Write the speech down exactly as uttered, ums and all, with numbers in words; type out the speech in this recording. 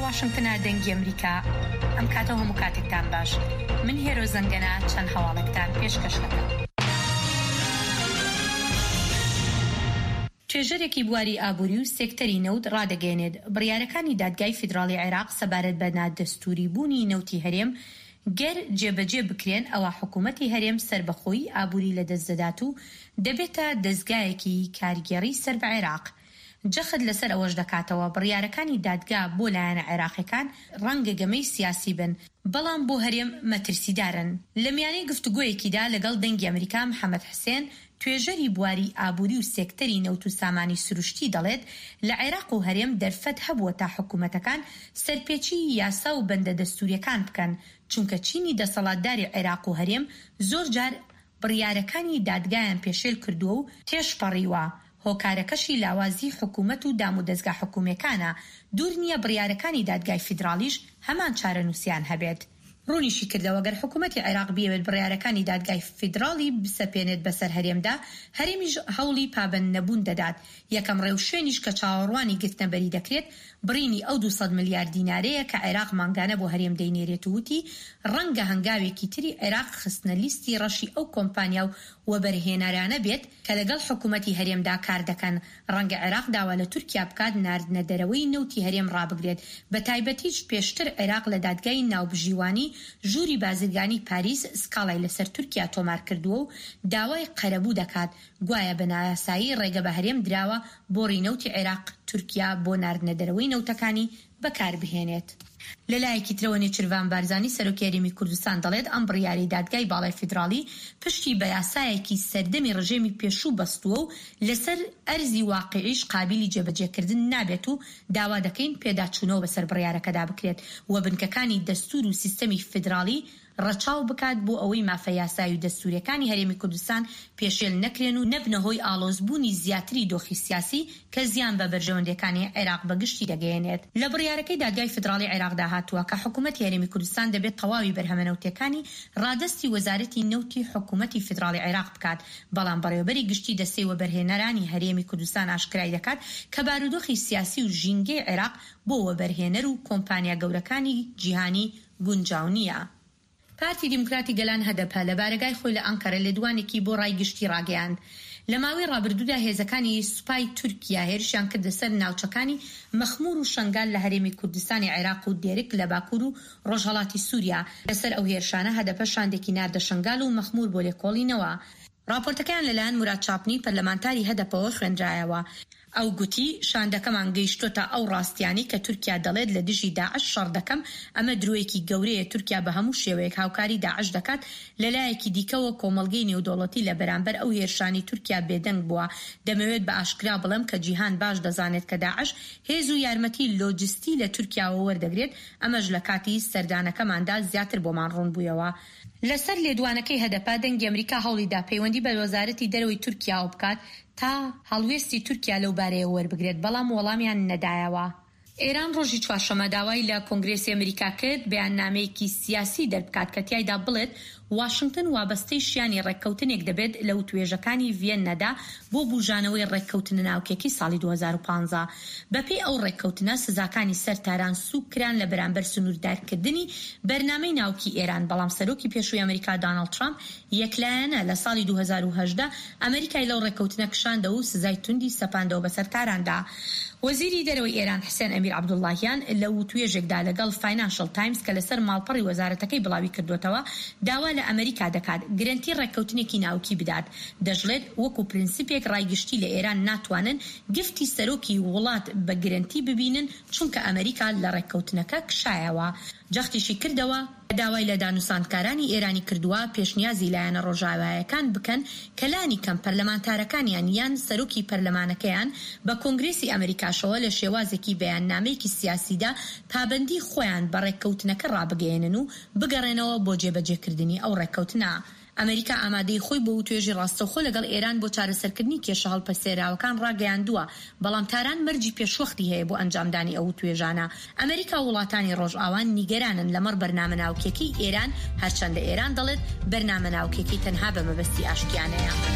واشنگتنە دەنگی ئەمریکا. ئەم کاتە و هەموو کاتێکتان باش. من هێرۆ زەنگەنە چەند هەواڵێکتان پێشکەش دەکەم. توێژەرێکی بواری ئابووری و سێکتەری نەوت ڕادەگەیەنێت، بڕیارەکانی دادگای فیدراڵی عێراق سەبارەت بە نادەستووری بوونی نەوتی هەرێم گەر جێبەجێ بکرێن ئەوا حکوومەتی هەرێم سەربەخۆیی ئابووری لەدەست دەدات و دەبێتە دەزگایەکی کارگێڕی سەر بە عێراق. جەخت لەسەر ئەوەش دەکاتەوە، بڕیارەکانی دادگا بۆ لایەنە عێراقیەکان ڕەنگە گەمەی سیاسی بن، بەڵام بۆ هەرێم مەترسیدارن. لە میانەی گفتوگۆیەکیدا لەگەڵ دەنگی ئەمریکا، محەمەد حسێن، توێژەری بواری ئابوری و سێکتەری نەوت و سامانی سروشتی دەڵێت، لە عێراق و هەرێم دەرفەت هەبووە تا حکومەتەکان سەرپێچیی یاسا و بەندە دەستوریەکان بکەن، چونکە چینی دەسەڵاتداری عێراق و هەرێم زۆرجار بڕیارەکانی دادگایان پێشێل کردووە و تێشپەڕیوە، هۆکارەکەشی لاوازیی حکومەت و دامودەزگا حکومییەکانە، دوور نییە بڕیارەکانی دادگای فیدراڵیش هەمان چارەنووسیان هەبێت. ڕوونیشیکردەوە، گەر حکومەتی عێراق بیەوێت بڕیارەکانی دادگای فیدراڵی بسەپێنێت بەسەر هەرێمدا، هەرێمیش هەوڵی پابەندنەبوون دەدات، یەکەم ڕێوشوێنیش کە چاوەڕوانی گرتنەبەری دەکرێت، بڕینی ئەو دوو سەد ملیار دینارەیە کە عێراق مانگانە بۆ هەرێم دەینێرێت و وتی، ڕەنگە هەنگاوێکی تری عێراق خستنە لیستی ڕەشی ئەو کۆمپانیا و وەبەرهێنەرانە بێت کە لەگەڵ حکومەتی هەرێمدا کاردەکەن، ڕەنگە عێراق داوا لە تورکیا بکات ناردنە دەرەوەی نەوتی هەرێم ڕابگرێت، بەتایبەتیش پێشتر عێراق لە دادگای ناوبژیوانی ژووری بازرگانی پاریس سکاڵای لەسەر تورکیا تۆمارکردووە و داوای قەرەبوو دەکات، گوایە بە نایاسایی ڕێگە بە هەرێم دراوە بۆڕی نەوتی عێراق تورکیا بۆ ناردنە دەرەوەی نەوتەکانی بەکاربهێنێت. لەلایەکی ترەوە نێچیرڤان بارزانی سەرۆکی هەرێمی کوردستان دەڵێت ئەم بڕیارەی دادگای باڵای فیدراڵی پشتی بە یاسایەکی سەردەمی ڕژێمی پێشوو بەستووە و لەسەر ئەرزی واقیعیش قابیلی جێبەجێکردن نابێت و داوا دەکەین پێداچوونەوە بەسەر بڕیارەکەدا بکرێت و بنکەکانی دەستوور و سیستەمی فیدراڵی ڕەچاو بکات بۆ ئەوەی مافە یاسایی و دەستوورییەکانی هەرێمی کوردستان پێشێل نەکرێن و نەبنە هۆی ئاڵۆزبوونی زیاتری دۆخی سیاسی کە زیان بە بەرژەوەندییەکانی عێراق بە گشتی دەگەیەنێت. لە بڕیارەکەی دادگای فیدراڵی عێراقدا هاتووە کە حکوومەتی هەرێمی کوردستان دەبێت تەواوی بەرهەمە نەوتییەکانی ڕادەستی وەزارەتی نەوتی حکوومەتی فیدراڵی عێراق بکات، بەڵام بەڕێوەبەری گشتی دەستەی وەبەرهێنەرانی هەرێمی کوردستان ئاشکرای دەکات کە بارودۆخی سیاسی و ژینگەی عێراق بۆ وەبەرهێنەر و کۆمپانیا گەورەکانی جیهانی گونجاو نییە. پارتی دیموکراتی گەلان هەدەپە لە بارەگای خۆی لە ئەنقەرە لێدوانێکی بۆ ڕای گشتی ڕاگەیاند. لە ماوەی ڕابردوودا هێزەکانی سوپای تورکیا هێرشیان کردە سەر ناوچەکانی مەخمور و شەنگال لە هەرێمی کوردستانی عێراق و دێرک لە باکور و ڕۆژهەڵاتی سوریا. لەسەر ئەو هێرشانە هەدەپە شاندێکی ناردە شەنگال و مەخمور بۆ لێکۆڵینەوە. ڕاپۆرتەکەیان لەلایەن موراد چاپنی پەرلەمانتاری هەدەپەوە خوێندرایەوە. ئەو گوتی، شاندەکەمان گەیشتۆتە ئەو ڕاستیانەی کە تورکیا دەڵێت لە دژی داعش شەڕ دەکەم، ئەمە درۆیەکی گەورەیە، تورکیا بە هەموو شێوەیەک هاوکاری داعش دەکات، لەلایەکی دیکەوە کۆمەڵگەی نێودەوڵەتی لە بەرامبەر ئەو هێرشانەی تورکیا بێدەنگ بووە، دەمەوێت بە ئاشکرا بڵێم کە جیهان باش دەزانێت کە داعش هێز و یارمەتی لۆجستی لە تورکیاوە وەردەگرێت، ئەمەش لە کاتی سەردانەکەماندا زیاتر بۆمان ڕوون بوویەوە. لەسەر لێدوانەکەی هەدەپە، دەنگی ئەمریکا هەوڵیدا پەیوەندی بە وەزارەتی دەرەوەی تورکیاوە بکات تا هەڵوێستی تورکیا لەو بارەیەوە وەربگرێت، بەڵام وەڵامیان نەدایەوە. ئێران ڕۆژی چوارشەممە داوای لە کۆنگرێسی ئەمریکا کرد بەیاننامەیەکی سیاسی دەربکات کە تیایدا بڵێت واشنتن وابەستەی شیانی ڕێککەوتنێک دەبێت لە وتوێژەکانی ڤیەننەدا بۆ بوژانەوەی ڕێککەوتنە ناوکیەکەی ساڵی دوو هەزار و پازدە. بەپێی ئەو ڕێککەوتنە سزاکانی سەر تاران سووک کران لە بەرامبەر سنووردارکردنی بەرنامەی ناوکی ئێران، بەڵام سەرۆکی پێشووی ئەمریکا داناڵد ترامپ یەکلایەنە لە ساڵی دوو هەزار و هەژدە ئەمریکای لەو ڕێککەوتنە کشاندەوە و سزای توندی سەپاندەوە بەسەر تاراندا. وەزیری دەرەوەی ئێران حسێن ئەمیر عەبدوڵڵاهیان لە وتوێژێکدا لەگەڵ فاینانشڵ تایمز کە لەسەر ماڵپەڕی وەزارەتەکەی بڵاویکردووەتەوە داوا لە ئەمریکا دەکات گرەنتی ڕێککەوتنێکی ناوکی بدات. دەشڵێت وەکو پرنسیپێک ڕای گشتی لە ئێران ناتوانن گفتی سەرۆکی وڵات بە گرەنتی ببینن چونکە ئەمریکا لە ڕێککەوتنەکە کشایەوە. جەختیشی کردەوە، داوای لە دانوساندکارانی ئێرانی کردووە پێشنیازی لایەنە ڕۆژاوایەکان بکەن کە لانی کەم پەرلەمانتارەکانیان یان سەرۆکی پەرلەمانەکەیان بە کۆنگرێسی ئەمریکاشەوە لە شێوازێکی بەیاننامەیەکی سیاسیدا پابەندی خۆیان بە ڕێککەوتنەکە ڕابگەیەنن و بگەڕێنەوە بۆ جێبەجێکردنی ئەو ڕێککەوتنە. ئەمەریکا ئامادەیی خۆی بۆ وتوێژی ڕاستەوخۆ لەگەڵ ئێران بۆ چارەسەرکردنی کێشە هەڵپەسێراوەکان ڕاگەیاندووە، بەڵام تاران مەرجی پێشوەختی هەیە بۆ ئەنجامدانی ئەو وتوێژانە. ئەمەریکا و وڵاتانی ڕۆژئاوا نیگەرانن لەمەڕ بەرنامە ناوکیەکەی ئێران، هەرچەندە ئێران دەڵێت بەرنامە ناوکیەکەی تەنها بە مەبەستی ئاشتیانەیە.